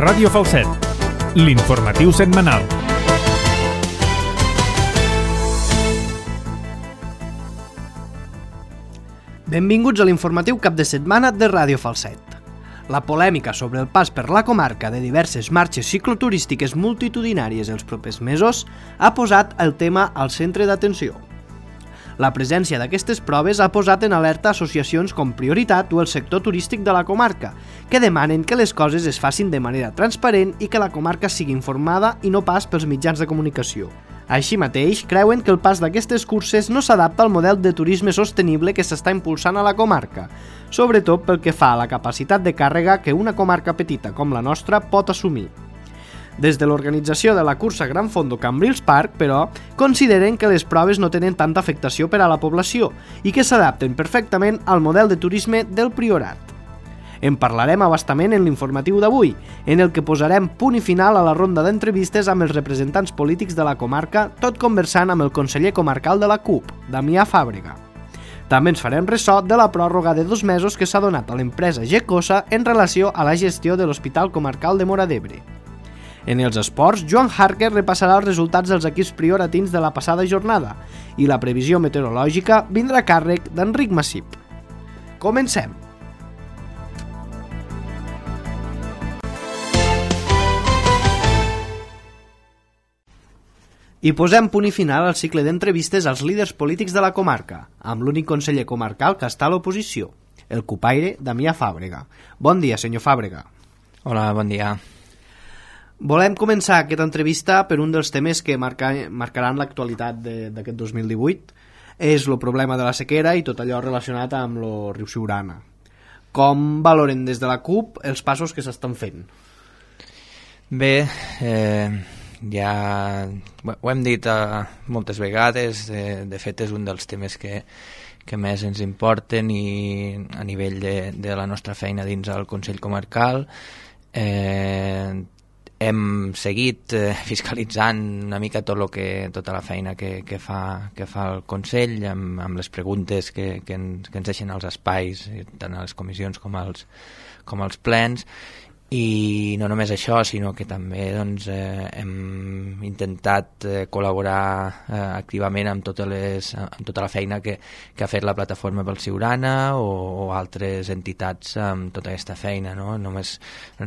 Ràdio Falset, l'informatiu setmanal. Benvinguts a l'informatiu cap de setmana de Ràdio Falset. La polèmica sobre el pas per la comarca de diverses marxes cicloturístiques multitudinàries els propers mesos ha posat el tema al centre d'atenció. La presència d'aquestes proves ha posat en alerta associacions com Prioritat o el sector turístic de la comarca, que demanen que les coses es facin de manera transparent i que la comarca sigui informada i no pas pels mitjans de comunicació. Així mateix, creuen que el pas d'aquestes curses no s'adapta al model de turisme sostenible que s'està impulsant a la comarca, sobretot pel que fa a la capacitat de càrrega que una comarca petita com la nostra pot assumir. Des de l'organització de la cursa Gran Fondo Cambrils Park, però, consideren que les proves no tenen tanta afectació per a la població i que s'adapten perfectament al model de turisme del Priorat. En parlarem a bastament en l'informatiu d'avui, en el que posarem punt i final a la ronda d'entrevistes amb els representants polítics de la comarca, tot conversant amb el conseller comarcal de la CUP, Damià Fàbrega. També ens farem ressò de la pròrroga de 2 mesos que s'ha donat a l'empresa Gecosa en relació a la gestió de l'Hospital Comarcal de Móra d'Ebre. En els esports, Joan Harker repassarà els resultats dels equips prioratins de la passada jornada i la previsió meteorològica vindrà a càrrec d'Enric Massip. Comencem! I posem punt i final al cicle d'entrevistes als líders polítics de la comarca, amb l'únic conseller comarcal que està a l'oposició, el cupaire Damià Fàbrega. Bon dia, senyor Fàbrega. Hola, bon dia. Volem començar aquesta entrevista per un dels temes que marcaran l'actualitat d'aquest 2018. És el problema de la sequera i tot allò relacionat amb el riu Siurana. Com valoren des de la CUP els passos que s'estan fent? Bé, ja ho hem dit moltes vegades, de fet és un dels temes que més ens importen i a nivell de la nostra feina dins el Consell Comarcal. Hem seguit fiscalitzant una mica tota la feina que fa el Consell amb les preguntes que ens deixen als espais, tant a les comissions com als plens. I no només això, sinó que també hem intentat col·laborar activament amb tota la feina que ha fet la plataforma pel Siurana o altres entitats amb tota aquesta feina, no? Només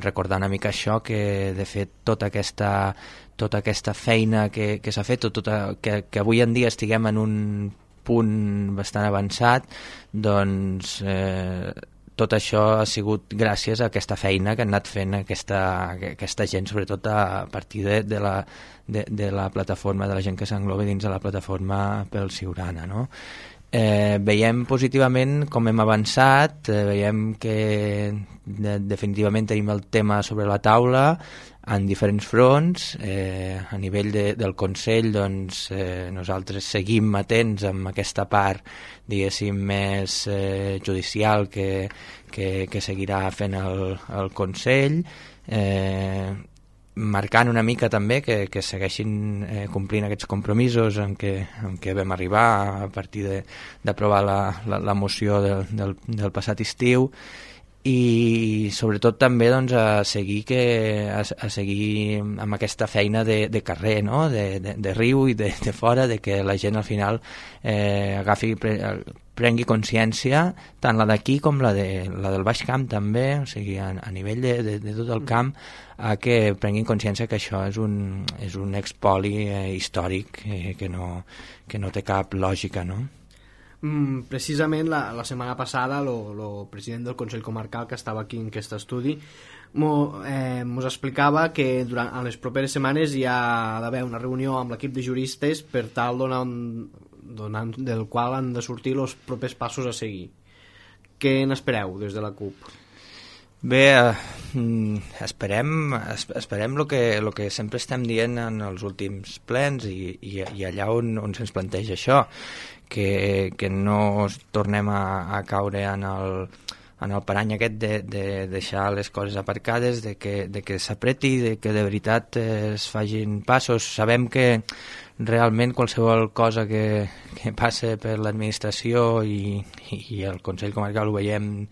recordar una mica això, que de fet tota aquesta feina que s'ha fet, que avui en dia estiguem en un punt bastant avançat, doncs tot això ha sigut gràcies a aquesta feina que han anat fent aquesta gent, sobretot a partir de la plataforma, de la gent que s'engloba dins de la plataforma pel Siurana, no? Veiem positivament com hem avançat, veiem que definitivament tenim el tema sobre la taula en diferents fronts. A nivell del Consell, doncs, nosaltres seguim atents amb aquesta part, diguéssim, més judicial que seguirà fent el Consell, marcant una mica també que segueixin complint aquests compromisos en què vam arribar a partir d'aprovar la moció del passat estiu. I sobretot també doncs, a seguir amb aquesta feina de carrer, no? de riu i de fora, de que la gent al final prengui consciència, tant la d'aquí com la del Baix Camp també, o sigui, a nivell de tot el camp, que prenguin consciència que això és un expoli històric que no té cap lògica, no? Precisament la setmana passada el president del Consell Comarcal, que estava aquí en aquest estudi, mos explicava que durant les properes setmanes hi ha d'haver una reunió amb l'equip de juristes per tal del qual han de sortir els propers passos a seguir. Què n'espereu des de la CUP? Bé, esperem el que sempre estem dient en els últims plens i allà on se'ns planteja això, que no tornem a caure en el parany aquest de deixar les coses aparcades, de que s'apreti, de que de veritat es facin passos. Sabem que realment qualsevol cosa que passa per l'administració i el Consell Comarcal ho veiem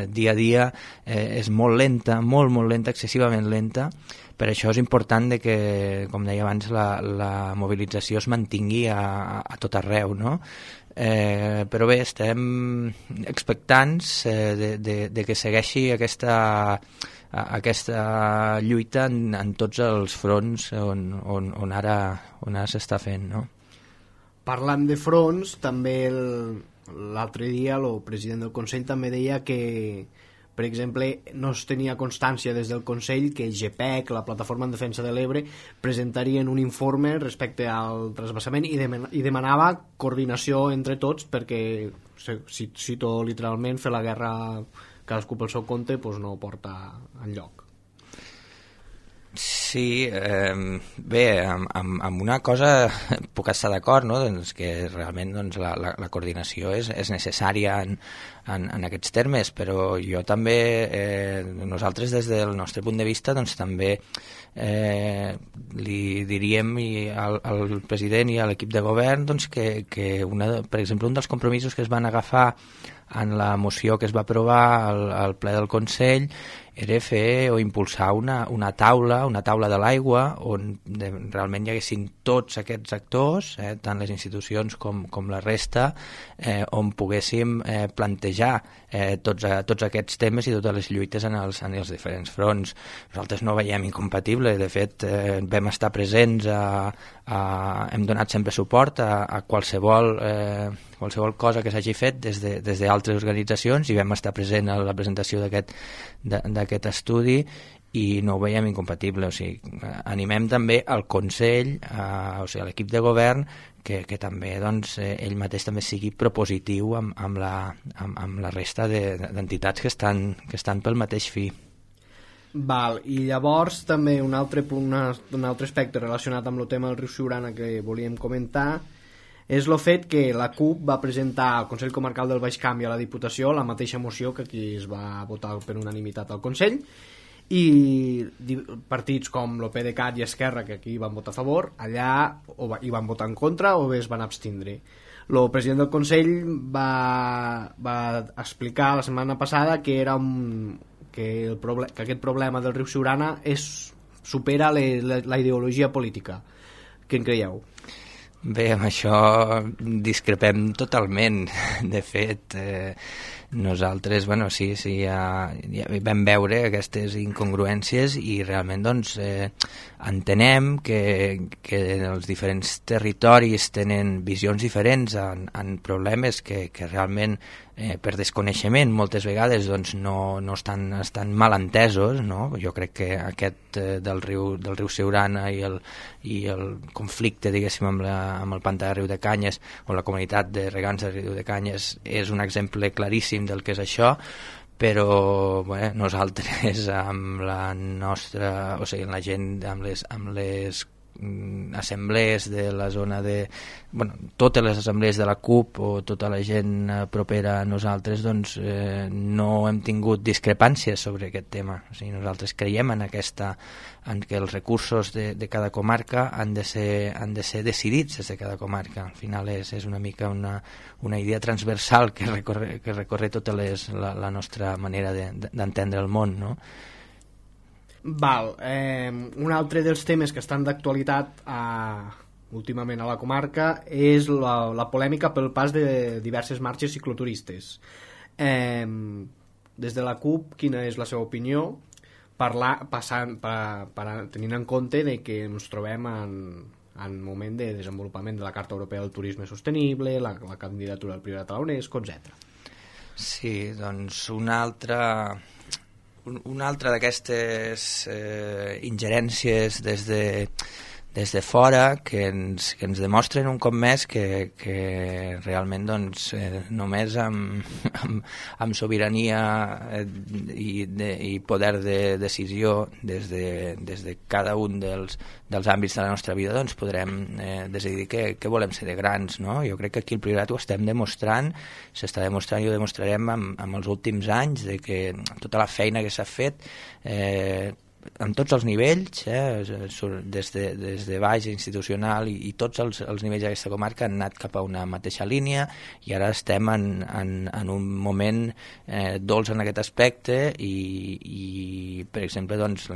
dia a dia, és molt lenta, molt lenta, excessivament lenta. Per això és important que, com deia abans, la mobilització es mantingui a tot arreu, no? Però bé, estem expectants de que segueixi aquesta lluita en tots els fronts on ara s'està fent, no? Parlant de fronts, també l'altre dia el president del Consell també deia que, per exemple, no es tenia constància des del Consell que GPEC, la Plataforma en Defensa de l'Ebre, presentarien un informe respecte al transvasament i demanava coordinació entre tots perquè, cito literalment, fer la guerra cadascú pel seu compte doncs no porta enlloc. Sí, bé, amb una cosa puc estar d'acord, no? Doncs que realment doncs, la coordinació és necessària en aquests termes, però jo també, nosaltres des del nostre punt de vista doncs, també li diríem al president i a l'equip de govern doncs, que per exemple, un dels compromisos que es van agafar en la moció que es va aprovar al ple del Consell era fer o impulsar una taula de l'aigua on realment hi haguessin tots aquests actors, tant les institucions com la resta, on poguéssim plantejar tots aquests temes i totes les lluites en els diferents fronts. Nosaltres no veiem incompatible, de fet vam estar presents, hem donat sempre suport a qualsevol cosa que s'hagi fet des d'altres organitzacions i vam estar present a la presentació d'aquest estudi i no ho veiem incompatible. O sigui, animem també al Consell, o sigui, a l'equip de govern, que també doncs, ell mateix també sigui propositiu amb la resta d'entitats que estan pel mateix fi. Val, i llavors també un altre aspecte relacionat amb el tema del riu Siurana que volíem comentar és el fet que la CUP va presentar al Consell Comarcal del Baix Camp i a la Diputació la mateixa moció que aquí es va votar per unanimitat al Consell, i partits com el PDeCAT i Esquerra, que aquí van votar a favor, allà hi van votar en contra o bé es van abstindre. El president del Consell va explicar la setmana passada que aquest problema del riu Siurana supera la ideologia política. Què en creieu? Bé, amb això discrepem totalment. De fet, nosaltres, bueno, sí, ja vam veure aquestes incongruències i realment doncs, entenem que els diferents territoris tenen visions diferents en problemes que realment per desconeixement moltes vegades doncs, no estan mal entesos, no? Jo crec que aquest del riu Siurana i el conflicte, diguéssim, amb el pantà de Riudecanyes o la comunitat de regants de Riudecanyes és un exemple claríssim del que és això, però bé, nosaltres amb la nostra, o sigui, la gent, amb les assemblees de la zona totes les assemblees de la CUP o tota la gent propera a nosaltres doncs no hem tingut discrepàncies sobre aquest tema. O sigui, nosaltres creiem en que els recursos de cada comarca han de ser decidits des de cada comarca. Al final és una mica una idea transversal que recorre tota la nostra manera d'entendre el món, no? Val, un altre dels temes que estan d'actualitat últimament a la comarca és la polèmica pel pas de diverses marxes cicloturistes. Des de la CUP, quina és la seva opinió tenint en compte de que ens trobem en moment de desenvolupament de la Carta Europea del Turisme Sostenible, la candidatura al Priorat a la UNESCO, etc. Sí, doncs una altra d'aquestes ingerències des de fora que ens demostren un cop més que realment doncs, només amb sobirania i poder de decisió des de cada un dels àmbits de la nostra vida doncs, podrem decidir què volem ser de grans, no? Jo crec que aquí el Priorat ho estem demostrant, s'està demostrant i ho demostrarem amb els últims anys, de que tota la feina que s'ha fet en tots els nivells, des de baix institucional i tots els nivells d'aquesta comarca han anat cap a una mateixa línia, i ara estem en un moment dolç en aquest aspecte, i per exemple, doncs,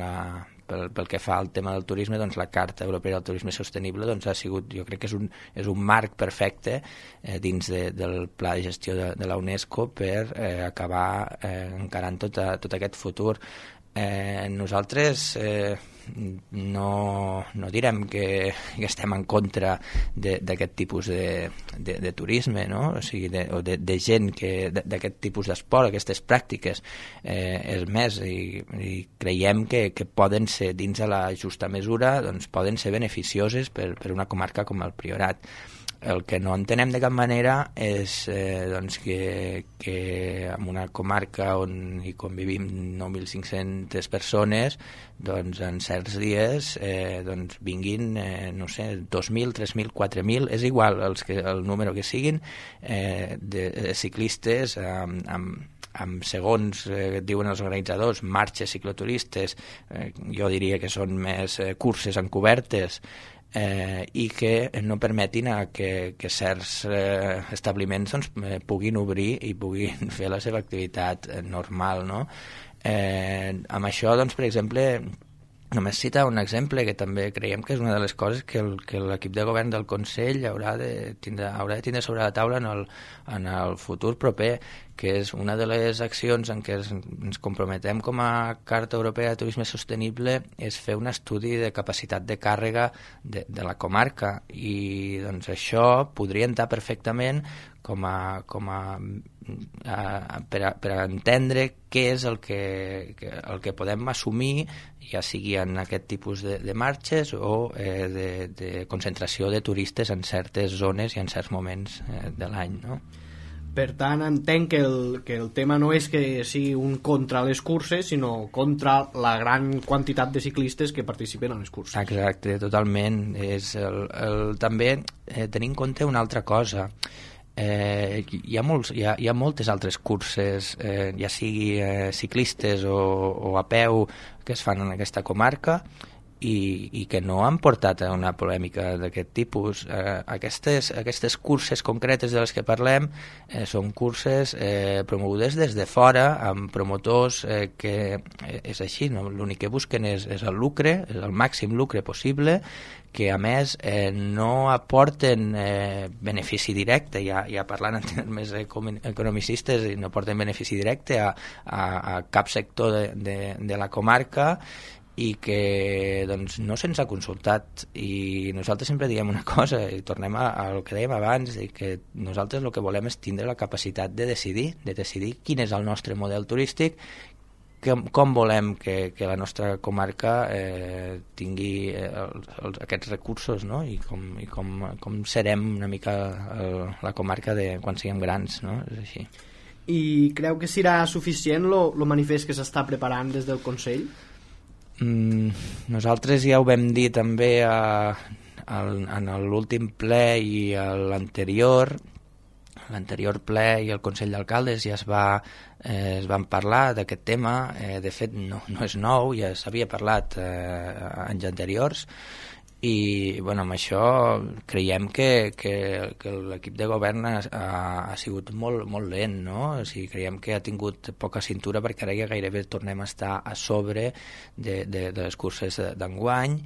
pel que fa al tema del turisme, doncs la Carta Europea del Turisme Sostenible ha sigut, jo crec que és un marc perfecte dins del pla de gestió de la UNESCO per acabar encarant tot aquest futur. Nosaltres no direm que estem en contra d'aquest tipus de turisme, no? O sigui, de gent d'aquest tipus d'esport, aquestes pràctiques. És més, i creiem que poden ser, dins de la justa mesura, doncs poden ser beneficioses per una comarca com el Priorat. El que no entenem de cap manera és doncs que en una comarca on hi convivim 9.500 persones, doncs en certs dies doncs vinguin, no sé, 2.000, 3.000, 4.000, és igual el número que siguin, de ciclistes amb segons diuen els organitzadors, marxes cicloturistes, jo diria que són més curses encobertes, i que no permetin que certs establiments doncs, puguin obrir i puguin fer la seva activitat normal, no? Amb això, doncs, per exemple, només citar un exemple que també creiem que és una de les coses que l'equip de govern del Consell haurà de tindre sobre la taula en el futur proper, que és una de les accions en què ens comprometem com a Carta Europea de Turisme Sostenible, és fer un estudi de capacitat de càrrega de la comarca, i doncs això podria entrar perfectament per a entendre què és el que podem assumir, ja sigui en aquest tipus de marxes o de concentració de turistes en certes zones i en certs moments de l'any, no? Per tant, entenc que el tema no és que sigui un contra les curses, sinó contra la gran quantitat de ciclistes que participen en les curses. Exacte, totalment. També tenir en compte una altra cosa. Hi ha moltes altres curses, ja sigui ciclistes o a peu, que es fan en aquesta comarca, i que no han portat a una polèmica d'aquest tipus. Aquestes curses concretes de les que parlem són curses promogudes des de fora, amb promotors que és així, no? L'únic que busquen és el lucre, és el màxim lucre possible, que a més no aporten benefici directe, ja parlant en termes economicistes, no aporten benefici directe a cap sector de la comarca, i que doncs, no se'ns ha consultat. I nosaltres sempre diem una cosa, i tornem al que dèiem abans, i que nosaltres el que volem és tindre la capacitat de decidir quin és el nostre model turístic, com volem que la nostra comarca tingui aquests recursos, no? I com serem una mica la comarca quan siguem grans, no? És així. I creu que serà suficient el manifest que s'està preparant des del Consell? Nosaltres ja ho vam dir també en l'últim ple i l'anterior ple i el Consell d'Alcaldes ja es van parlar d'aquest tema. De fet no és nou, ja s'havia parlat anys anteriors, i amb això creiem que l'equip de govern ha sigut molt lent, no? O sigui, creiem que ha tingut poca cintura, perquè ara ja gairebé tornem a estar a sobre de les curses d'enguany,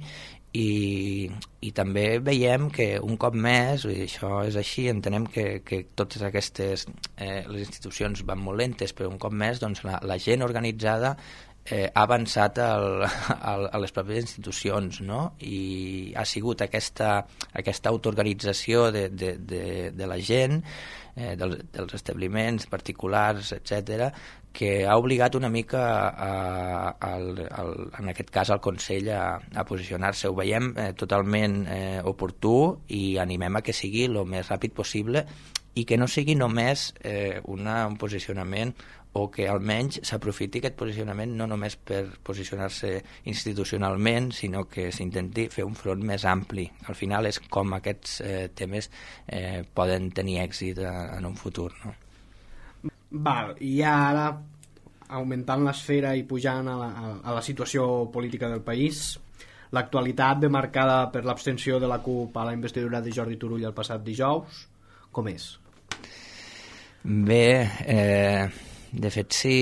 i també veiem que un cop més, i això és així, entenem que totes aquestes les institucions van molt lentes, però un cop més doncs, la gent organitzada ha avançat a les pròpies institucions, no? I ha sigut aquesta autoorganització de la gent, dels establiments particulars, etc., que ha obligat una mica en aquest cas al Consell a posicionar-se. Ho veiem totalment oportú, i animem a que sigui el més ràpid possible, i que no sigui només un posicionament, o que almenys s'aprofiti aquest posicionament no només per posicionar-se institucionalment, sinó que s'intenti fer un front més ampli. Al final és com aquests temes poden tenir èxit en un futur, no? Val, i ara augmentant l'esfera i pujant a la situació política del país. L'actualitat ve marcada per l'abstenció de la CUP a la investidura de Jordi Turull el passat dijous. Com és? Bé, de fet, si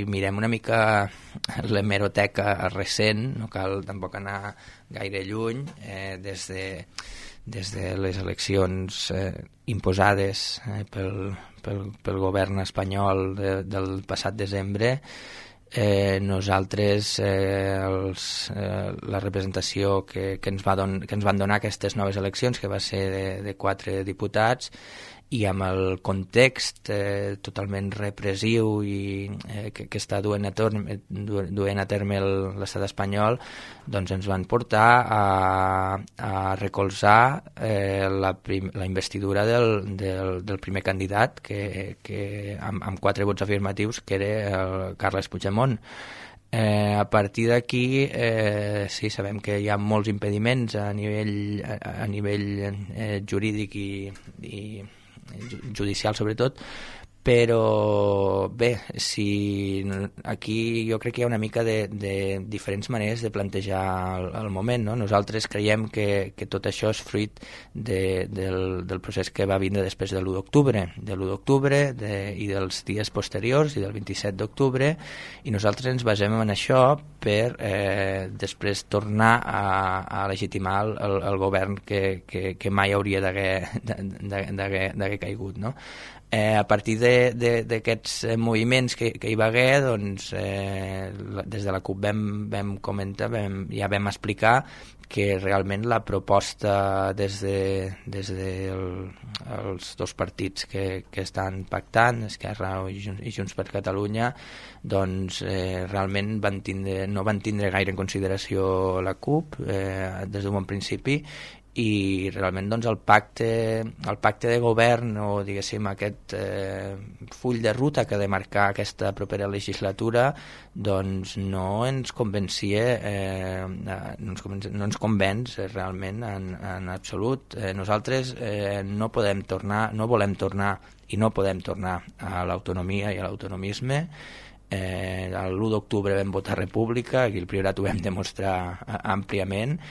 mirem una mica l'hemeroteca recent, no cal tampoc anar gaire lluny, des de les eleccions imposades pel govern espanyol del passat desembre, nosaltres la representació que ens van donar aquestes noves eleccions, que va ser de 4 diputats, i amb el context totalment repressiu i que està duent a terme l'estat espanyol, doncs ens van portar a recolzar la investidura del primer candidat que amb 4 vots afirmatius, que era el Carles Puigdemont. A partir d'aquí sí, sabem que hi ha molts impediments a nivell jurídic i judicial sobretot, però bé, aquí jo crec que hi ha una mica de diferents maneres de plantejar el moment, no? Nosaltres creiem que tot això és fruit del procés que va vindre després de l'1 d'octubre i dels dies posteriors i del 27 d'octubre, i nosaltres ens basem en això per després tornar a legitimar el govern que mai hauria d'haver caigut, no? A partir d'aquests moviments que hi va haver, doncs, des de la CUP vam comentar, ja vam explicar que realment la proposta des dels dos partits que estan pactant, Esquerra i Junts per Catalunya, doncs realment no van tindre gaire en consideració la CUP des d'un bon principi, i realment doncs, el pacte de govern, o diguéssim aquest full de ruta que ha de marcar aquesta propera legislatura, doncs no ens convencia, no ens convenç realment en absolut. Nosaltres no volem tornar i no podem tornar a l'autonomia i a l'autonomisme. L'1 d'octubre vam votar república, aquí el Priorat ho vam demostrar àmpliament,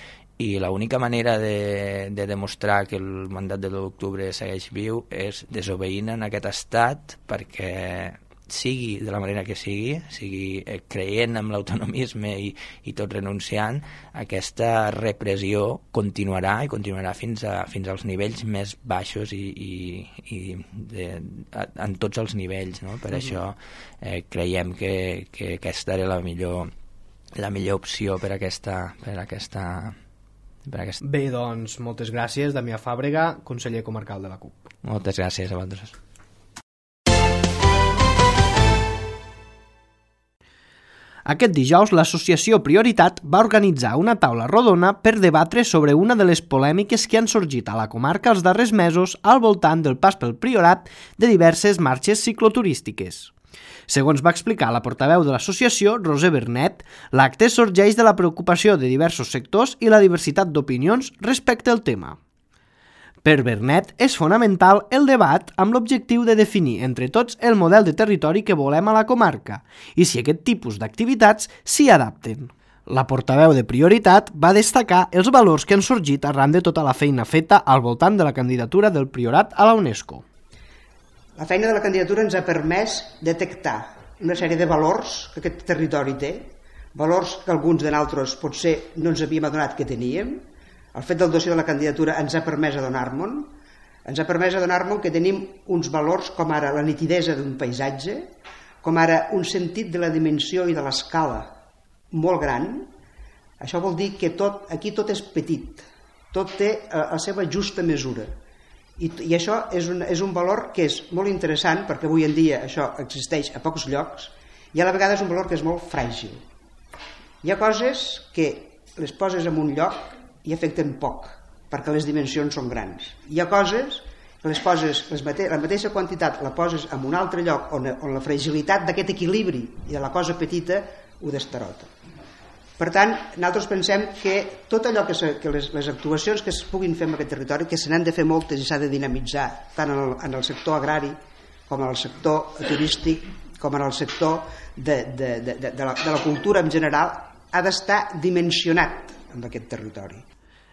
i l'única manera de demostrar que el mandat de l'1 d'octubre segueix viu és desobeint en aquest estat, perquè sigui de la manera que sigui creient en l'autonomisme i tot renunciant, aquesta repressió continuarà fins als nivells més baixos i en tots els nivells, no? Per això creiem que aquesta era la millor opció per aquesta. Bé, doncs, moltes gràcies, Damià Fàbrega, conseller comarcal de la CUP. Moltes gràcies a vosaltres. Aquest dijous, l'associació Prioritat va organitzar una taula rodona per debatre sobre una de les polèmiques que han sorgit a la comarca els darrers mesos al voltant del pas pel Priorat de diverses marxes cicloturístiques. Segons va explicar la portaveu de l'associació, Roser Bernet, l'acte sorgeix de la preocupació de diversos sectors i la diversitat d'opinions respecte al tema. Per Bernet, és fonamental el debat amb l'objectiu de definir entre tots el model de territori que volem a la comarca i si aquest tipus d'activitats s'hi adapten. La portaveu de Prioritat va destacar els valors que han sorgit arran de tota la feina feta al voltant de la candidatura del Priorat a la UNESCO. La feina de la candidatura ens ha permès detectar una sèrie de valors que aquest territori té, valors que alguns de nosaltres potser no ens havíem adonat que teníem. El fet del dossier de la candidatura ens ha permès adonar-nos que tenim uns valors com ara la nitidesa d'un paisatge, com ara un sentit de la dimensió i de l'escala molt gran. Això vol dir que aquí tot és petit, tot té la seva justa mesura. I això és un valor que és molt interessant, perquè avui en dia això existeix a pocs llocs, i a la vegada és un valor que és molt fràgil. Hi ha coses que les poses en un lloc i afecten poc, perquè les dimensions són grans. Hi ha coses que les poses, la mateixa quantitat la poses en un altre lloc on la fragilitat d'aquest equilibri i de la cosa petita ho destarota. Per tant, nosaltres pensem que tot allò que les actuacions que es puguin fer en aquest territori, que se n'han de fer moltes i s'ha de dinamitzar tant en el sector agrari com en el sector turístic, com en el sector de la cultura en general, ha d'estar dimensionat en aquest territori.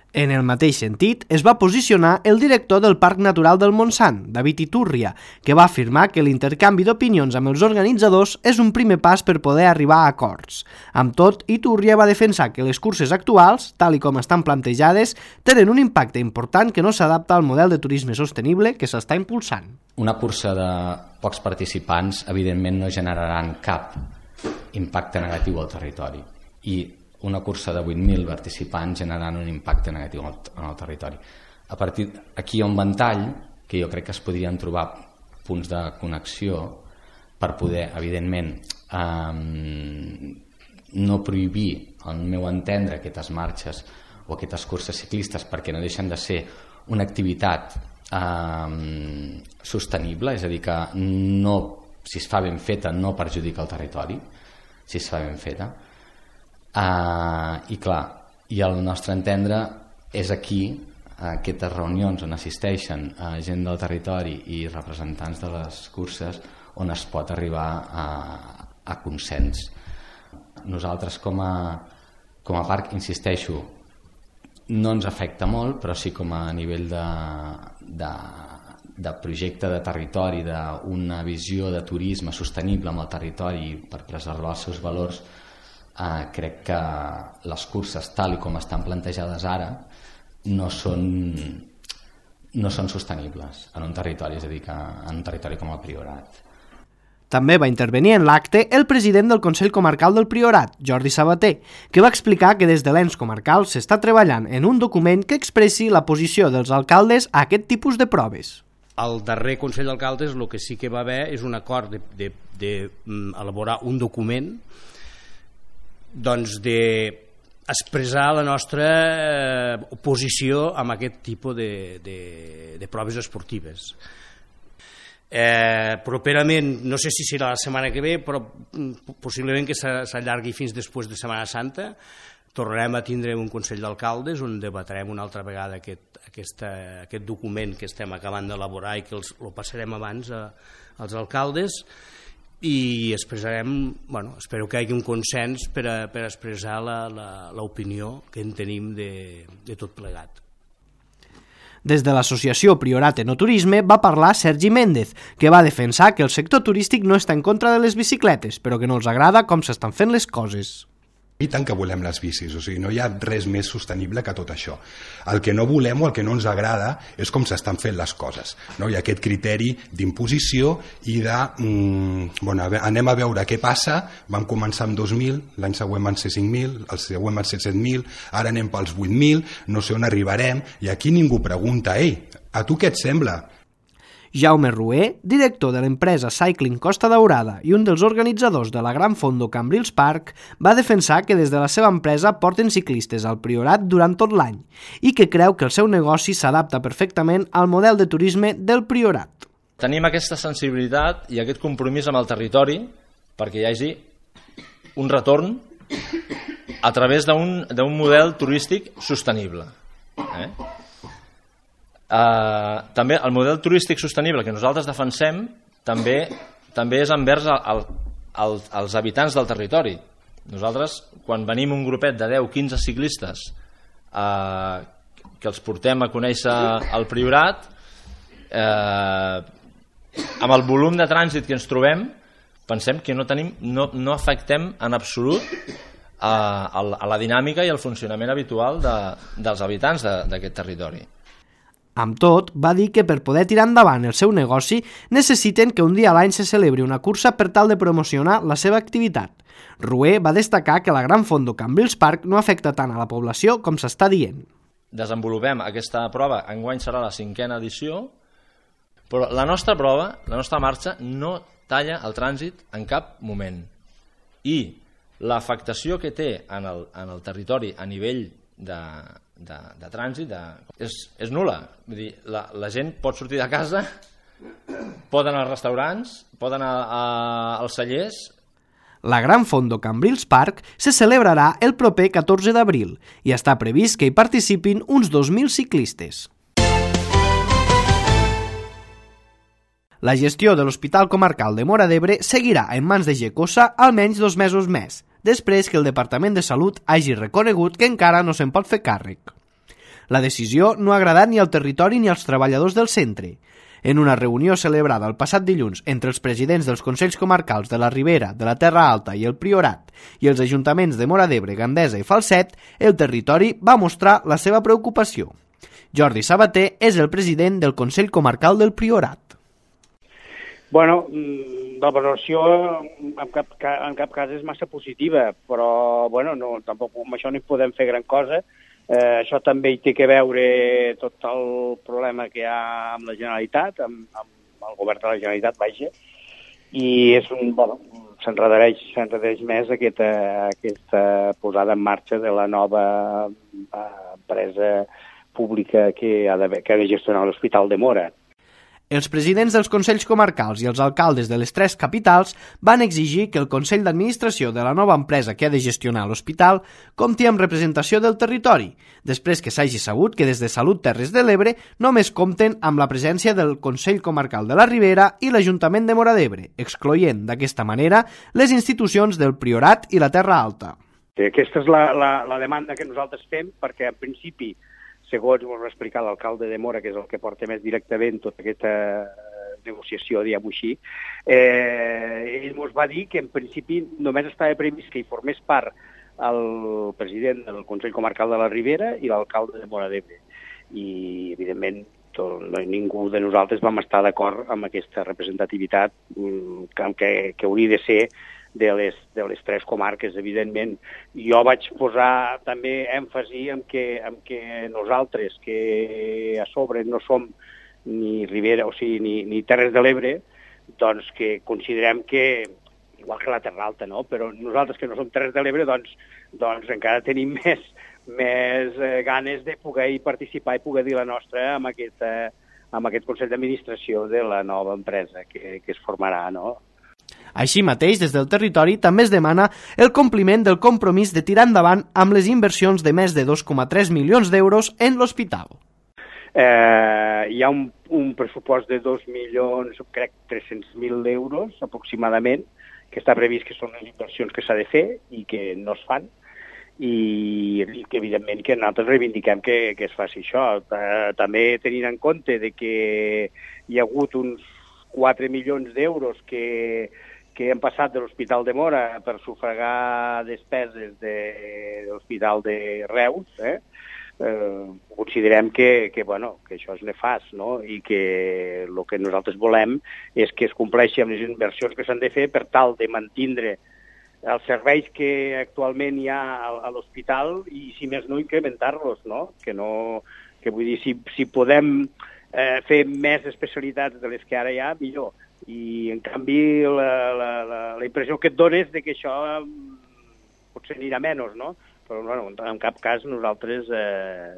En el mateix sentit, es va posicionar el director del Parc Natural del Montsant, David Iturria, que va afirmar que l'intercanvi d'opinions amb els organitzadors és un primer pas per poder arribar a acords. Amb tot, Iturria va defensar que les curses actuals, tal i com estan plantejades, tenen un impacte important que no s'adapta al model de turisme sostenible que s'està impulsant. Una cursa de pocs participants, evidentment, no generaran cap impacte negatiu al territori. I una cursa de 8.000 participants generant un impacte negatiu en el territori. A partir d'aquí hi ha un ventall que jo crec que es podrien trobar punts de connexió per poder, evidentment, no prohibir, al meu entendre, aquestes marxes o aquestes curses ciclistes perquè no deixen de ser una activitat sostenible, és a dir, que no, si es fa ben feta no perjudica el territori, si es fa ben feta. I clar, i al nostre entendre és aquí, aquestes reunions on assisteixen gent del territori i representants de les curses, on es pot arribar a consens. Nosaltres com a parc, insisteixo, no ens afecta molt, però sí com a nivell de projecte de territori, d'una visió de turisme sostenible amb el territori per preservar els seus valors. Crec que les curses, tal i com estan plantejades ara, no són sostenibles en un territori, és a dir, que en un territori com el Priorat. També va intervenir en l'acte el president del Consell Comarcal del Priorat, Jordi Sabater, que va explicar que des de l'ens comarcal s'està treballant en un document que expressi la posició dels alcaldes a aquest tipus de proves. Al darrer Consell d'Alcaldes el que sí que va haver és un acord d'elaborar un document d'expressar la nostra oposició amb aquest tipus de proves esportives. Properament, no sé si serà la setmana que ve, però possiblement que s'allargui fins després de Setmana Santa, tornarem a tindre un Consell d'Alcaldes on debatrem una altra vegada aquest document que estem acabant d'elaborar i que el passarem abans als alcaldes, i expressarem, espero que hi hagi un consens per expressar l'opinió que en tenim de tot plegat. Des de l'associació Priorat Enoturisme va parlar Sergi Méndez, que va defensar que el sector turístic no està en contra de les bicicletes, però que no els agrada com s'estan fent les coses. I tant que volem les bicis, o sigui, no hi ha res més sostenible que tot això. El que no volem o el que no ens agrada és com s'estan fent les coses. No? Hi ha aquest criteri d'imposició i de, anem a veure què passa, vam començar amb 2.000, l'any següent van ser 5.000, el següent van ser 7.000, ara anem pels 8.000, no sé on arribarem, i aquí ningú pregunta, a tu què et sembla? Jaume Rué, director de l'empresa Cycling Costa Daurada i un dels organitzadors de la Gran Fondo Cambrils Park, va defensar que des de la seva empresa porten ciclistes al Priorat durant tot l'any i que creu que el seu negoci s'adapta perfectament al model de turisme del Priorat. Tenim aquesta sensibilitat i aquest compromís amb el territori perquè hi hagi un retorn a través d'un model turístic sostenible. També el model turístic sostenible que nosaltres defensem també és envers als habitants del territori. Nosaltres, quan venim un grupet de 10-15 ciclistes que els portem a conèixer el Priorat, amb el volum de trànsit que ens trobem, pensem que no afectem en absolut a la dinàmica i al funcionament habitual dels habitants d'aquest territori. Amb tot, va dir que per poder tirar endavant el seu negoci necessiten que un dia a l'any se celebri una cursa per tal de promocionar la seva activitat. Rué va destacar que la Gran Fondo Cambrils Park no afecta tant a la població com s'està dient. Desenvolupem aquesta prova, enguany serà la 5a edició, però la nostra prova, la nostra marxa, no talla el trànsit en cap moment. I l'afectació que té en el territori a nivell de trànsit és nul·la. Vull dir, la gent pot sortir de casa, pot anar als restaurants, pot anar als cellers. La Gran Fondo Cambrils Park se celebrarà el proper 14 d'abril i està previst que hi participin uns 2.000 ciclistes. La gestió de l'Hospital Comarcal de Móra d'Ebre seguirà en mans de Gecosa almenys 2 mesos més, després que el Departament de Salut hagi reconegut que encara no se'n pot fer càrrec. La decisió no ha agradat ni al territori ni als treballadors del centre. En una reunió celebrada el passat dilluns entre els presidents dels Consells Comarcals de la Ribera, de la Terra Alta i el Priorat i els ajuntaments de Móra d'Ebre, Gandesa i Falset, el territori va mostrar la seva preocupació. Jordi Sabater és el president del Consell Comarcal del Priorat. Bueno, la valoració en cap cas és massa positiva, però bueno, no, tampoc amb això no hi podem fer gran cosa. Això també hi té que veure tot el problema que hi ha amb la Generalitat, amb el govern de la Generalitat, vaja, i és s'enredareix més aquesta posada en marxa de la nova empresa pública que ha de gestionar l'Hospital de Móra. Els presidents dels Consells Comarcals i els alcaldes de les 3 capitals van exigir que el Consell d'Administració de la nova empresa que ha de gestionar l'hospital compti amb representació del territori, després que s'hagi sabut que des de Salut Terres de l'Ebre només compten amb la presència del Consell Comarcal de la Ribera i l'Ajuntament de Móra d'Ebre, excloent d'aquesta manera les institucions del Priorat i la Terra Alta. Aquesta és la demanda que nosaltres fem, perquè en principi, segons ens va explicar l'alcalde de Móra, que és el que porta més directament tota aquesta negociació, diguem-ho així, ell ens va dir que en principi només estava previst que hi formés part el president del Consell Comarcal de la Ribera i l'alcalde de Móra d'Ebre. I, evidentment, ningú de nosaltres vam estar d'acord amb aquesta representativitat que hauria de ser de les 3 comarques, evidentment. Jo vaig posar també èmfasi en que nosaltres, que a sobre no som ni Ribera, o sigui, ni Terres de l'Ebre, doncs que considerem que, igual que la Terra Alta, no? Però nosaltres que no som Terres de l'Ebre, doncs encara tenim més ganes de poder hi participar i poder dir la nostra amb aquest Consell d'Administració de la nova empresa que es formarà, no? Així mateix, des del territori també es demana el compliment del compromís de tirar endavant amb les inversions de més de 2,3 milions d'euros en l'hospital. Hi ha un pressupost de 2 milions, crec, 300.000 euros aproximadament, que està previst que són les inversions que s'ha de fer i que no es fan, i que evidentment que nosaltres reivindiquem que es faci això. També tenint en compte de que hi ha hagut uns 4 milions d'euros que han passat de l'Hospital de Móra per sufragar despeses de l'Hospital de Reus, considerem que això és nefast, no? I que el que nosaltres volem és que es compleixi amb les inversions que s'han de fer per tal de mantindre els serveis que actualment hi ha a l'hospital i, si més no, incrementar-los, no? Que vull dir, si podem fer més especialitats de les que ara hi ha, millor. I, en canvi, la impressió que et dona és que això potser anirà menys, no? Però, en cap cas nosaltres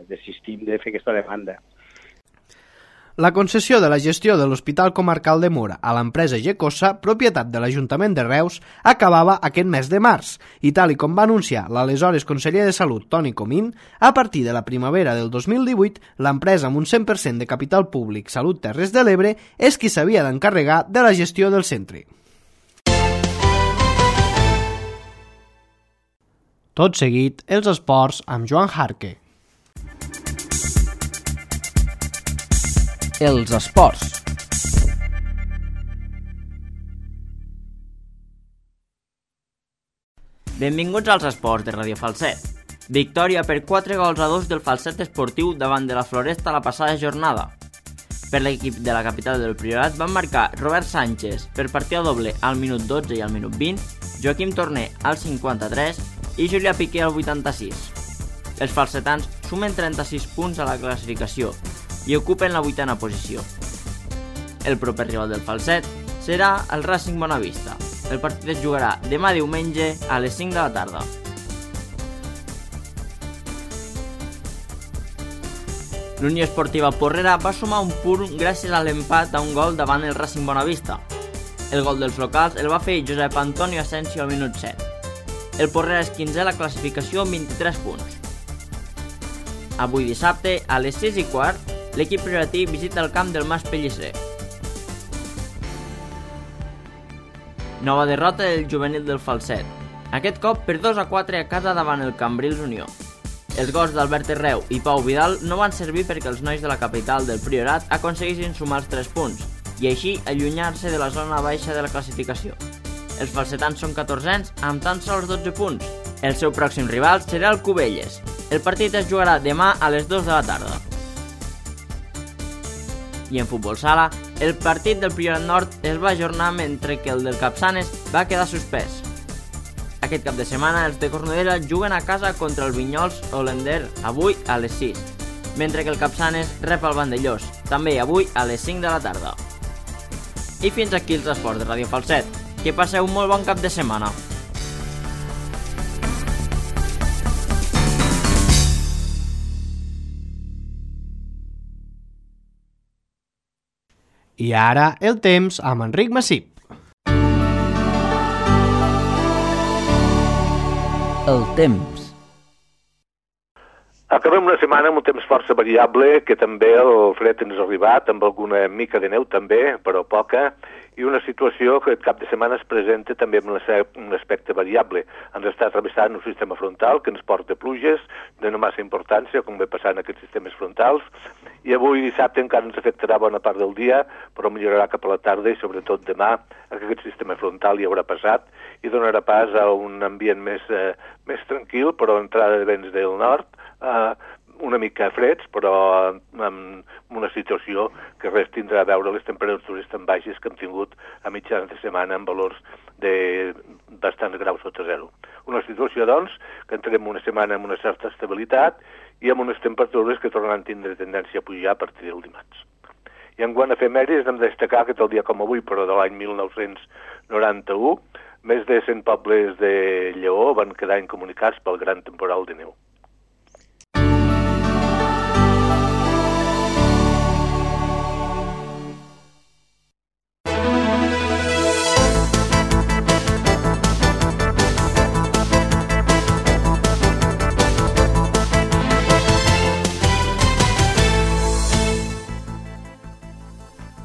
desistim de fer aquesta demanda. La concessió de la gestió de l'Hospital Comarcal de Móra a l'empresa Gecosa, propietat de l'Ajuntament de Reus, acabava aquest mes de març i, tal com va anunciar l'aleshores conseller de Salut, Toni Comín, a partir de la primavera del 2018, l'empresa amb un 100% de capital públic Salut Terres de l'Ebre és qui s'havia d'encarregar de la gestió del centre. Tot seguit, els esports amb Joan Jarque. Els esports. Benvinguts als esports de Radio Falset. Victòria per 4-2 del Falset Esportiu davant de la Floresta la passada jornada. Per l'equip de la capital del Priorat van marcar Robert Sánchez per partida doble al minut 12 i al minut 20, Joaquim Torner al 53 i Julià Piqué al 86. Els falsetans sumen 36 punts a la classificació i ocupen la 8a posició. El proper rival del Falset serà el Racing Bonavista. El partit es jugarà demà diumenge a les 5 de la tarda. L'Unió Esportiva Porrera va sumar un punt gràcies a l'empat a un gol davant el Racing Bonavista. El gol dels locals el va fer Josep Antonio Asensio al minut 7. El Porrera és 15è a la classificació amb 23 punts. Avui dissabte, a les 6:15, l'equip prioratí visita el camp del Mas Pellicer. Nova derrota del juvenil del Falset. Aquest cop per 2-4 a casa davant el Cambrils Unió. Els gols d'Albert Herreu i Pau Vidal no van servir perquè els nois de la capital del Priorat aconseguissin sumar els 3 punts i així allunyar-se de la zona baixa de la classificació. Els falsetans són 14ens amb tan sols 12 punts. El seu pròxim rival serà el Cubelles. El partit es jugarà demà a les 2 de la tarda. I en futbol sala, el partit del Priorat Nord es va ajornar mentre que el del Capçanes va quedar suspès. Aquest cap de setmana els de Cornudella juguen a casa contra el Vinyols Holender avui a les 6, mentre que el Capçanes rep el Vandellós, també avui a les 5 de la tarda. I fins aquí els esports de Ràdio Falset. Que passeu un molt bon cap de setmana. I ara el temps amb Enric Massip. El temps. Acabem una setmana amb un temps força variable, que també el fred ens ha arribat, amb alguna mica de neu també, però poca, i una situació que el cap de setmana es presenta també amb un aspecte variable. Ens està travessant un sistema frontal que ens porta pluges de no massa importància, com ve passant aquests sistemes frontals, i avui dissabte encara ens afectarà bona part del dia, però millorarà cap a la tarda i sobretot demà aquest sistema frontal hi haurà passat i donarà pas a un ambient més tranquil, però entrada de vents del nord, una mica freds, però amb una situació que res tindrà a veure les temperatures tan baixes que hem tingut a mitjans de setmana amb valors de bastants graus sota zero. Una situació, doncs, que entrem una setmana amb una certa estabilitat i amb unes temperatures que tornaran a tindre tendència a pujar a partir del dimarts. I en quant a efemèrides, hem de destacar que tal dia com avui, però de l'any 1991, més de 100 pobles de Lleó van quedar incomunicats pel gran temporal de neu.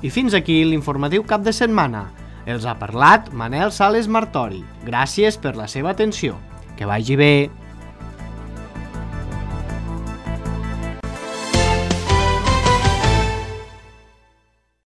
I fins aquí l'informatiu cap de setmana. Els ha parlat Manel Sales Martori. Gràcies per la seva atenció. Que vagi bé.